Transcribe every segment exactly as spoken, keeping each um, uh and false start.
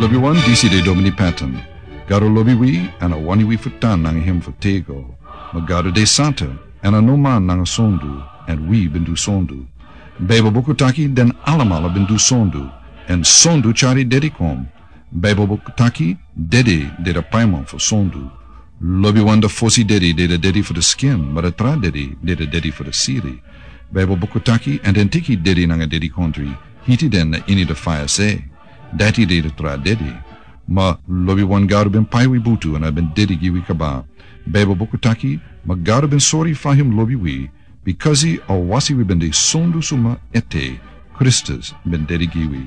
Wi wan disi de Domini Patton. Gado lobi wi, èn a wani wi fu tan nanga hem fu tego. Ma Gado de santa, èn a no man nanga sondu, èn wi ben du sondu. Baibel buku taki den alamala ben du sondu, èn sondu tyari dedi kon. Baibel buku taki dedi de da paiman fu sondu. Lobi wan da fosi dedi de da dedi fu da skin, ma da tra dedi de da dedi fu da siri. Baibel buku taki, èn den teki dedi nanga dedi kontri, hiti den na ini da faya se. Dati de da tra dedi. Ma lobi wan Gado ben pai wi butu èn a ben dedi gi wi kaba. Baibel buku taki, ma Gado ben sori fa hem lobi wi, bikasi a wasi wi ben de sondu suma ete, Kristus ben dedi gi wi.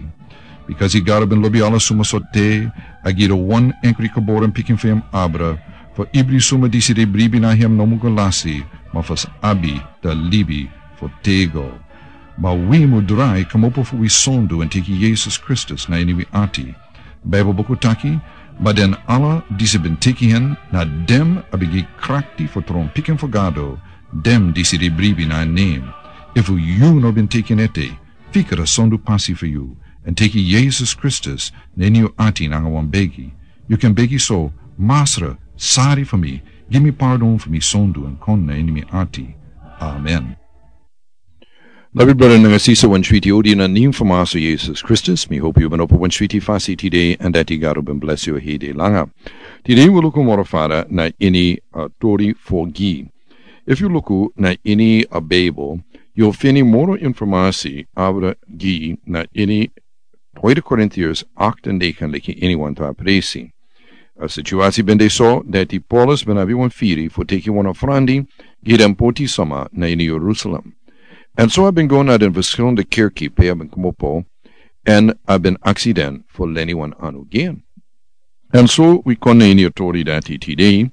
Bikasi Gado ben lobi ala suma so te, a gi da wan enkri geboren pikin fu hem abra, fu ibri suma disi de bribi na hem no mu go lasi, ma fu sa abi da libi fu tego. Ma wi mu drai kmopo fu wi sondu èn teki Yesus Kristus na ini wi ati. Baibel buku taki, ma den ala disi ben teki hen, na dem a ben gi krakti fu tron pikin fu Gado, dem disi de bribi na en nen. Efu yu no ben teki en ete, fika da sondu pasi fu yu, èn teki Yesus Kristus na ini yu ati nanga wan begi. Yu kan begi so, Masra, sari fu mi, gi mi pardon fu mi sondu èn kon na ini mi ati. Amen. Lobi brada nanga sisa, wan switi odi na nen fu Masra Yesus Kristus. Mi hopu yu ben opo wan switi fasi tide, èn dati Gado ben blesi yu hede langa. Tide wi luku moro fara na ini, uh, tori fu gi. Efu yu luku na ini a Baibel, yu o feni moro informasi abra gi na ini Tweede Korintiërs acht en negen leki ini wan tra presi. A situasi ben de so dati Paulus ben abi wan firi fu teki wan ofrandi gi den poti soma na ini Jerusalem. Èn so a ben go na den verschillende kerki pe a ben kmopo, èn a ben aksi den fu leni wan anu gi en. Èn so wi kon na ini a tori dati tide.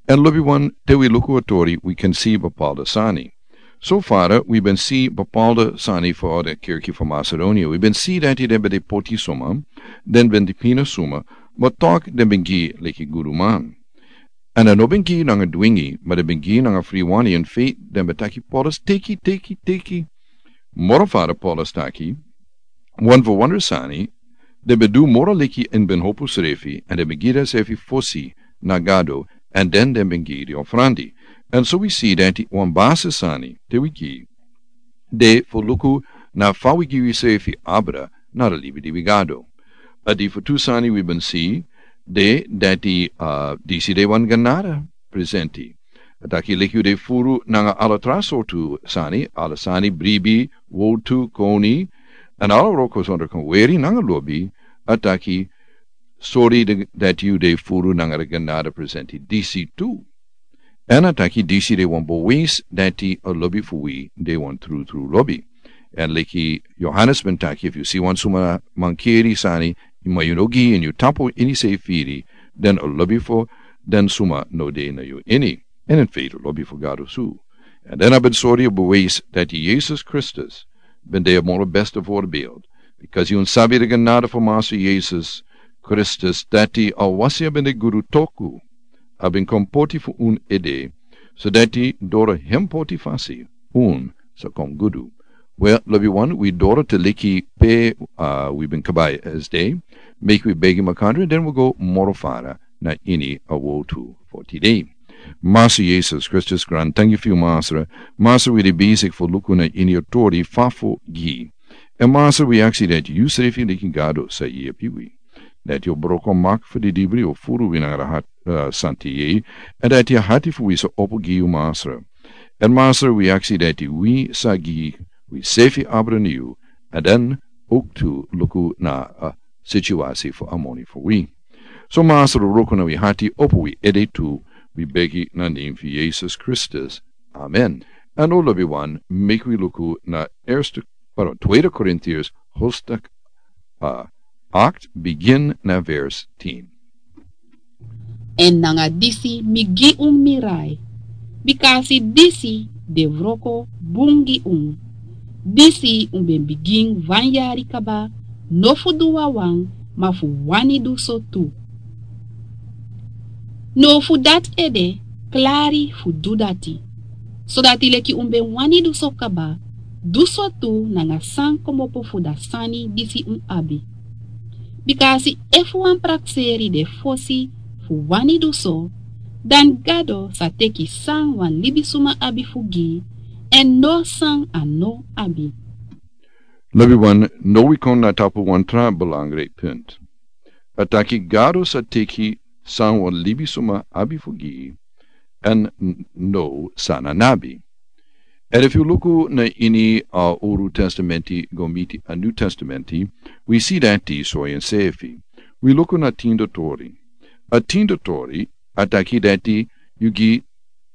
Èn lobi wan, te wi luku a tori, wi kan si bepaalde sani. So fara wi ben si bepaalde sani fu den kerki fu Macedonia. Wi ben si dati den ben de poti soma, den ben de pina soma, ma tok den ben gi leki guduman. Èn a no ben gi nanga dwingi, ma den ben gi nanga friwani, èn feti den ben taki Paulus teki, teki, teki. Moro fara Paulus taki, wan fu wandra sani, den ben du moro leki en ben hopu srefi, èn den ben gi densrefi fosi na Gado, èn den den ben gi di ofrandi. Èn so wi si dati wan basi sani te wi gi, de fu luku na fa wi gi wisrefi abra na da libi di wi Gado. A di fu tu sani wi ben si, de dati, uh, disi de wan ganada presenti. A taki leki yu de furu nanga ala tra sortu sani, ala sani bribi, wotu, koni, èn ala wroko sondro kon weri nanga lobi, a taki sori de, dati yu de furu nanga da ganada presenti disi tu. Èn a taki disi de wan bewijs dati a lobi fu wi de wan trutru lobi. Èn leki Johannes ben taki, efu yu si wan suma mankeri sani, ma yu no gi, èn yu tapu ini srefi fu dati, den a lobi fu den suma no de na yu ini. Èn en feti lobi fu Gado tu. Èn den a ben sori a bewijs dati Yesus Kristus ben de a moro beste voorbeeld. Bikasi un sabi da ganada fu Masra Yesus Kristus dati a wasi a ben de gudu toku, a ben kon poti fu un ede, so dati doro hem poti fasi, un sa kon gudu. Wel, lobi wan, wi doro te leki pe, uh, wi ben kaba esde, meki wi begi makandra, den wi go moro fara na ini a wotu fu tide. Masra Yesus Kristus, grantangi fu yu Masra, Masra wi de besigi fu luku na ini a tori fa fu gi. Èn Masra wi aksi dati yu srefi leki Gado sa yepi wi. Dati yu o broko mak fu di dibri o furu wi nanga da hati, uh, santi yeye, èn dati a hati fu wi sa opo gi yu Masra. Èn Masra wi aksi dati wi sa gi wisrefi abra na yu, èn den owktu luku na, uh, situasi fu a moni fu wi. So Masra wroko na wi hati, opo wi ede tu, wi begi na nen fu Yesus Kristus. Amen. Èn now lobi wan, meki wi luku na Eerste, pardon, Tweede Korintiërs hoofdstuk, uh, acht, begin na vers tien. Èn nanga disi mi gi un mi rai, bikasi disi de wroko bun gi un. Disi un ben bigin wan yari kaba, no fu du wawan, ma fu wani du so tu. No fu dati ede klari fu du dati, sodati leki un ben wani du so kaba, du so tu nanga san kmopo fu da sani disi un abi. Bika a si efu wan prakseri de fosi fu wani du so, dan Gado sa teki san wan libisuma abi fu gi, èn no san a no abi. Lobi wan, no wi kon na tapu wan tra belangrijk punt. A taki Gado sa teki san wan libisuma abi fu gi, èn n-, no san a no abi. Èn efu yu luku na ini a Oru Testamenti go miti a New Testamenti, wi si dati so yu sefi. Wi luku na tinda tori. A tinda tori, a taki dati yu gi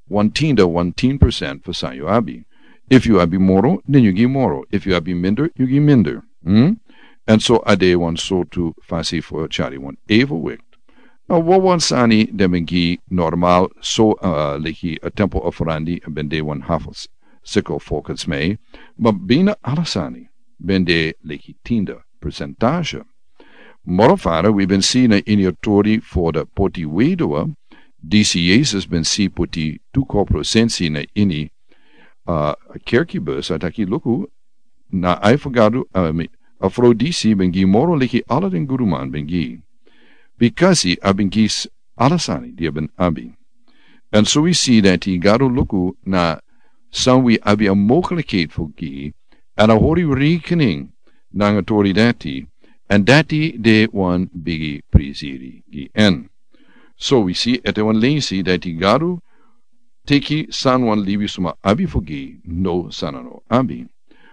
wan tinda, wan tin percent fu san yu abi. Efu yu abi moro, dan yu gi moro. Efu yu abi minder, yu gi minder. Hmm? Èn so a de wan sortu fasi fu tyari wan evenwicht. Na wawan sani den ben gi normaal so, uh, leki a temple offerandi ben de wan half s-, sikkel volgens mij. Ma bijna ala sani ben de leki tinda percentage. Moro fara wi ben si na ini a tori fu di poti weduwe, disi Yesus ben si poti tu kopro sensi na ini, uh, kerkibus, a taki luku, na ai fu Gado, uh, mi, a frow disi ben gi moro leki ala den guduman ben gi. Bikasi a ben gi s-, ala sani di a ben abi. Èn so wi si dati Gado luku na san wi abi a mogelijkheid fu gi, èn a hori rekening nanga tori dati, èn dati de wan bigi prisiri gi en. So wi si ete wan lensi dati Gado teki san wan libisuma abi fu gi, no san a no abi.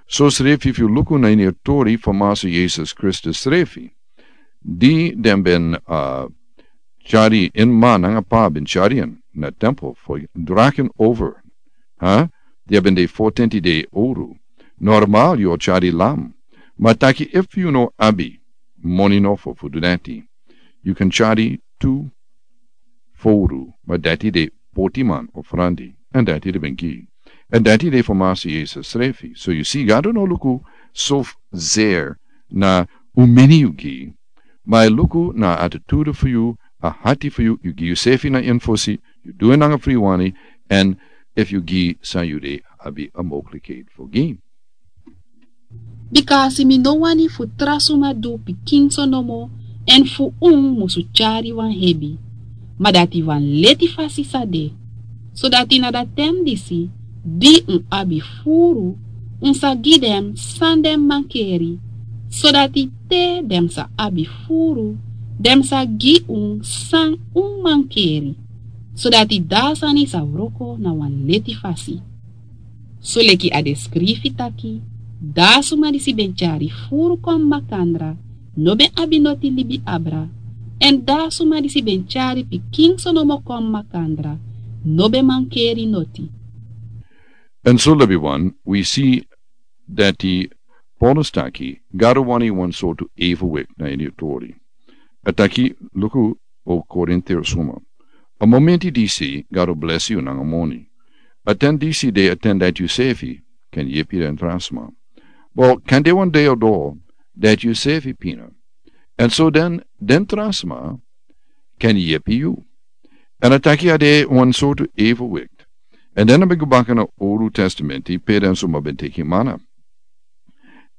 So srefi efu yu luku na ini a tori fu Master Yesus Kristus srefi. Di den ben, uh, tyari en, ma nanga pa ben tyari en na temple fu dragen over. Ha? Di a ben de fotenti dei oru. Normaal yu o tyari lam. Ma taki efu yu no abi moni nofo fu du dati, yu kan tyari tu fowru, ma dati de potiman offerandi, èn dati de ben gi. Èn dati de fu Master Yesus srefi. So yu si Gado no luku so f-, zeer na un meni yu gi, ma a luku na a attitude fu yu, a hati fu yu, yu gi yusefi na en fosi, yu du en nanga fri wani, èn efu yu gi san yu de abi a mogelijkheid fu gi. Bikasi mi no wani fu tra suma du pikinso nomo, èn fu un musu tyari wan hebi. Ma dati wan leti fasi sa de, sodati na a ten disi, di un abi furu, un sa gi den san den mankeri, sodati te den sa abi furu, den sa gi un san un mankeri, sodati a sani sa wroko na wan leti fasi. Soleki a de skrifi taki, a suma disi ben tyari furu kon makandra, no ben abi noti libi abra, èn a suma disi ben tyari pikinso nomo kon makandra, no ben mankeri noti. Èn so lobi wan, wi si dati Paulus taki, Gado wani wan sortu evenwicht na ini tori. A taki, luku o Korinti suma. A momenti disi, Gado blesi yu nanga moni. A ten disi de a ten dati yusefi kan yepi den tra sma. Wel, kan de wan dei o doro dati yusefi pina. Èn so den, den tra sma kan yepi yu. Èn a taki a de wan sortu evenwicht. Èn den a ben go baka na Oru Testamenti, pe den suma ben teki mana.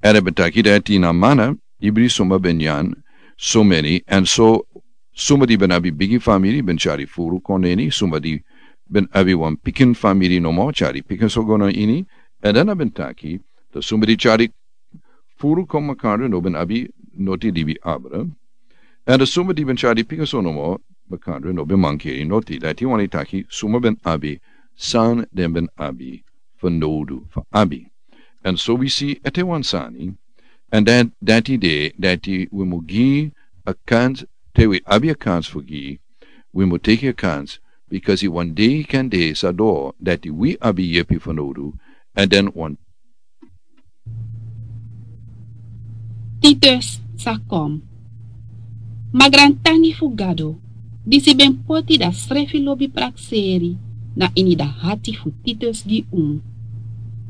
Èn a ben taki dati na mana, ibri suma ben nyan, so meni, èn so suma di ben abi bigi famiri, ben tyari furu kon na ini, suma di ben abi wan pikin famiri nomo, tyari pikinso go na ini, èn den a ben taki, dan suma di tyari furu kon makandra no ben abi noti libi abra. Èn dan suma di ben tyari pikinso nomo makandra no ben mankeri noti. Dati wani taki suma ben abi san den ben abi fanowdu fu abi. Èn so wi si ete wan sani. Èn dan dati de dati wi mu gi a kans, te wi abi a kans fu gi, wi mu teki a kans, bikasi wan dei kan de sa doro dati wi abi yepi fanowdu, èn den wan Titus sa kon. Ma grantangi fu Gado, disi ben poti a srefi lobi prakseri na ini a hati fu Titus gi un.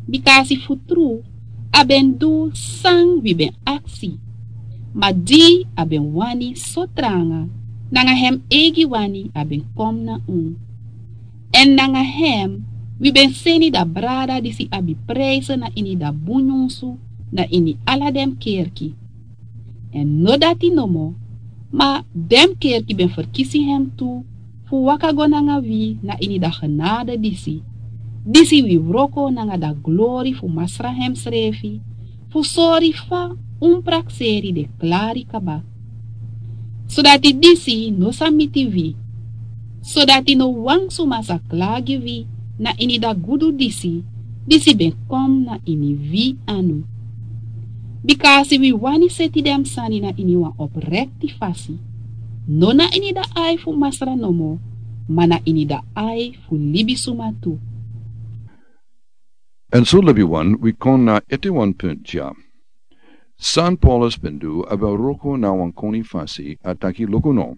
Bikasi fu tru, a ben du san wi ben aksi. Ma di a ben wani so tranga, nanga hem eigi wani a ben kon na un. Èn nanga hem, wi ben seni a brada disi abi prijse na ini a bun nyunsu, na ini ala den kerki. Èn no dati nomo, Ma den kerki ben ferkisi hem tu fu waka go nanga wi na ini da genade disi, disi wi wroko nanga da glori fu Masra hemsrefi, fu sori fa un prakseri de klari kaba. Sodati disi no sa miti wi, sodati no wan suma sa klagi wi na ini da gudu disi, disi ben kon na ini wi anu. Bikasi wi wani seti den sani na ini wan oprekti fasi, no na ini da ai fu Masra nomo, ma na ini da ai fu libisuma tu. Èn so, lobiwan, wi kon na ete wan puntu dya. San Paulus ben du, a ben wroko na wan koni fasi, a taki: Luku no,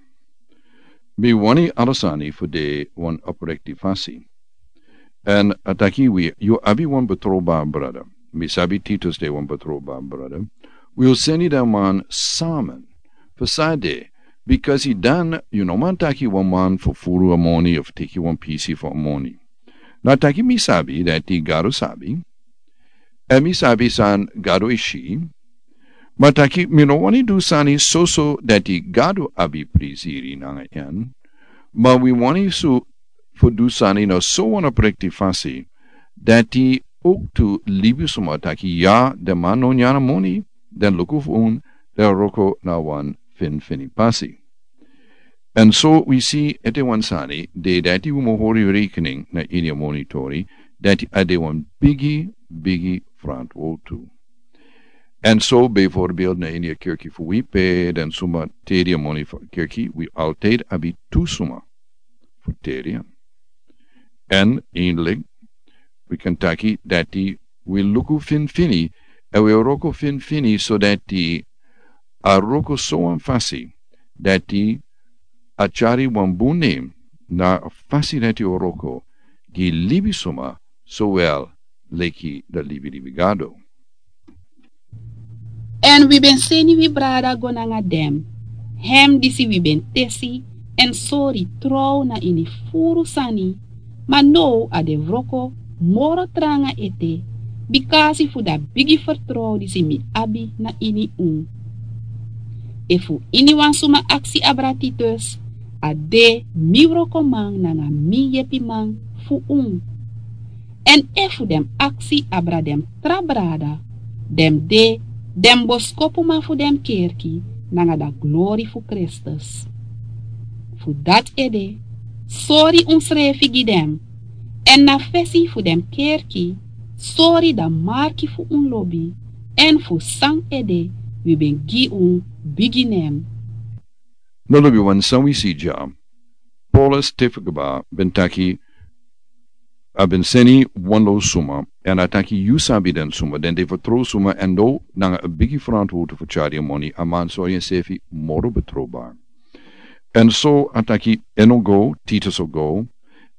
mi wani ala sani fu de wan oprekti fasi. Èn a taki: Wi, yu abi wan betrowbari brada. Mi sabi Titus de wan betrowbari brada. Wi o seni den man samen. Fu san ede? Bikasi dan yu no man taki wan man fu furu a moni of teki wan pisi fu a moni. Na taki mi sabi dati Gado sabi. Èn mi sabi san Gado e si. Ma taki mi no wani du sani soso dati Gado abi prisiri nanga en. Ma wi wani su fu du sani na so wan oprekti fasi, dati owktu libisuma taki: Ya, den man no nyan a moni, den luku fu un, den wroko na wan finfini pasi. Èn so wi si ete wan sani de dati wi mu hori rekening na ini a moni tori, dati a de wan bigi, bigi frantwortu. Èn so, bijvoorbeeld, na ini a kerki fu wi, pe den suma teri a moni fu a kerki, wi altijd abi tu suma fu teri en. Èn eindelijk, wi kan taki dati wi luku finfini, èn wi wroko finfini, sodati a wroko so wan fasi dati a tyari wan bun nen na a fasi dati a wroko gi libisuma, sowel leki da libilibi Gado. Èn wi ben seni wi brada go nanga den, hem disi wi ben tesi èn sori trow na ini furu sani, ma now a de wroko moro tranga ete, bikasi fu da bigi fertrow disi mi abi na ini un. Efu iniwan suma aksi abra Titus, a de mi wrokoman nanga mi yepiman fu un. Èn efu den aksi abra den tra brada, den de den boskopuman fu den kerki nanga da glori fu Kristus. Fu dati ede, sori unsrefi gi den, èn na fesi fu den kerki, sori da marki fu un lobi, èn fu san ede wi ben gi un bigi nen. No, lobiwan, san wi si dya, Paulus te fu kba ben taki, a ben seni wan lo suma, èn a taki yu sabi den suma, den de fertrow suma, èn now nanga a bigi frantwortu fu tyari a moni, a man sori ensefi moro betrowbari. Èn so a taki en o go, Titus o go,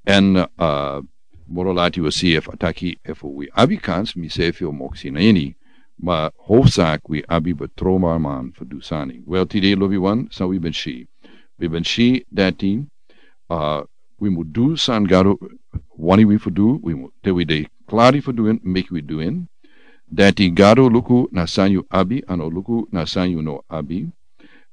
èn, eh, moro lati wi o si efu a taki efu wi abi kans, misefi o moksi na ini, ma hofsaki wi abi betrowbari man fu du sani. Wel, tide, lobiwan, san wi ben si? Wi ben si dati, eh, wi mu du san Gado wani wi fu du, wi mu, te wi de klari fu du en, meki wi du en. Dati Gado luku na san yu abi, a no luku na san yu no abi.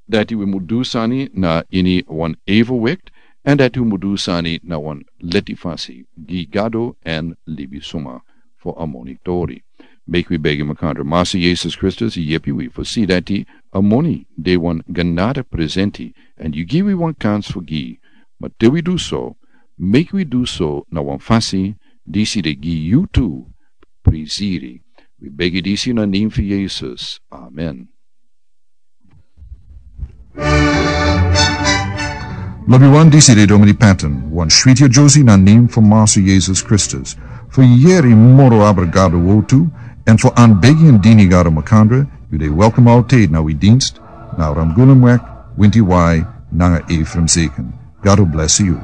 Dati wi mu du sani na ini wan evenwicht, èn dati wi mu du sani na wan leti fasi gi Gado èn libisuma fu a moni tori. Meki wi begi makandra. Masra Yesus Kristus, yepi wi fu si dati a moni de wan genade presenti, èn yu gi wi wan kans fu gi. Ma te wi du so, meki wi du so na wan fasi disi de gi yu tu prisiri. Wi begi disi na nen fu Yesus. Amen. Lobiwan, disi de Domini Patton, wan switi a Josie na nen fu Masra Yesus Kristus. Fu yeri moro abra Gado wortu, èn fu anbegi èn dini Gado makandra, yu de welkom altijd na wi dienst, na Ramgulemweg, Winti Wai, nanga Ephraim Zeken. Gado blesi yu.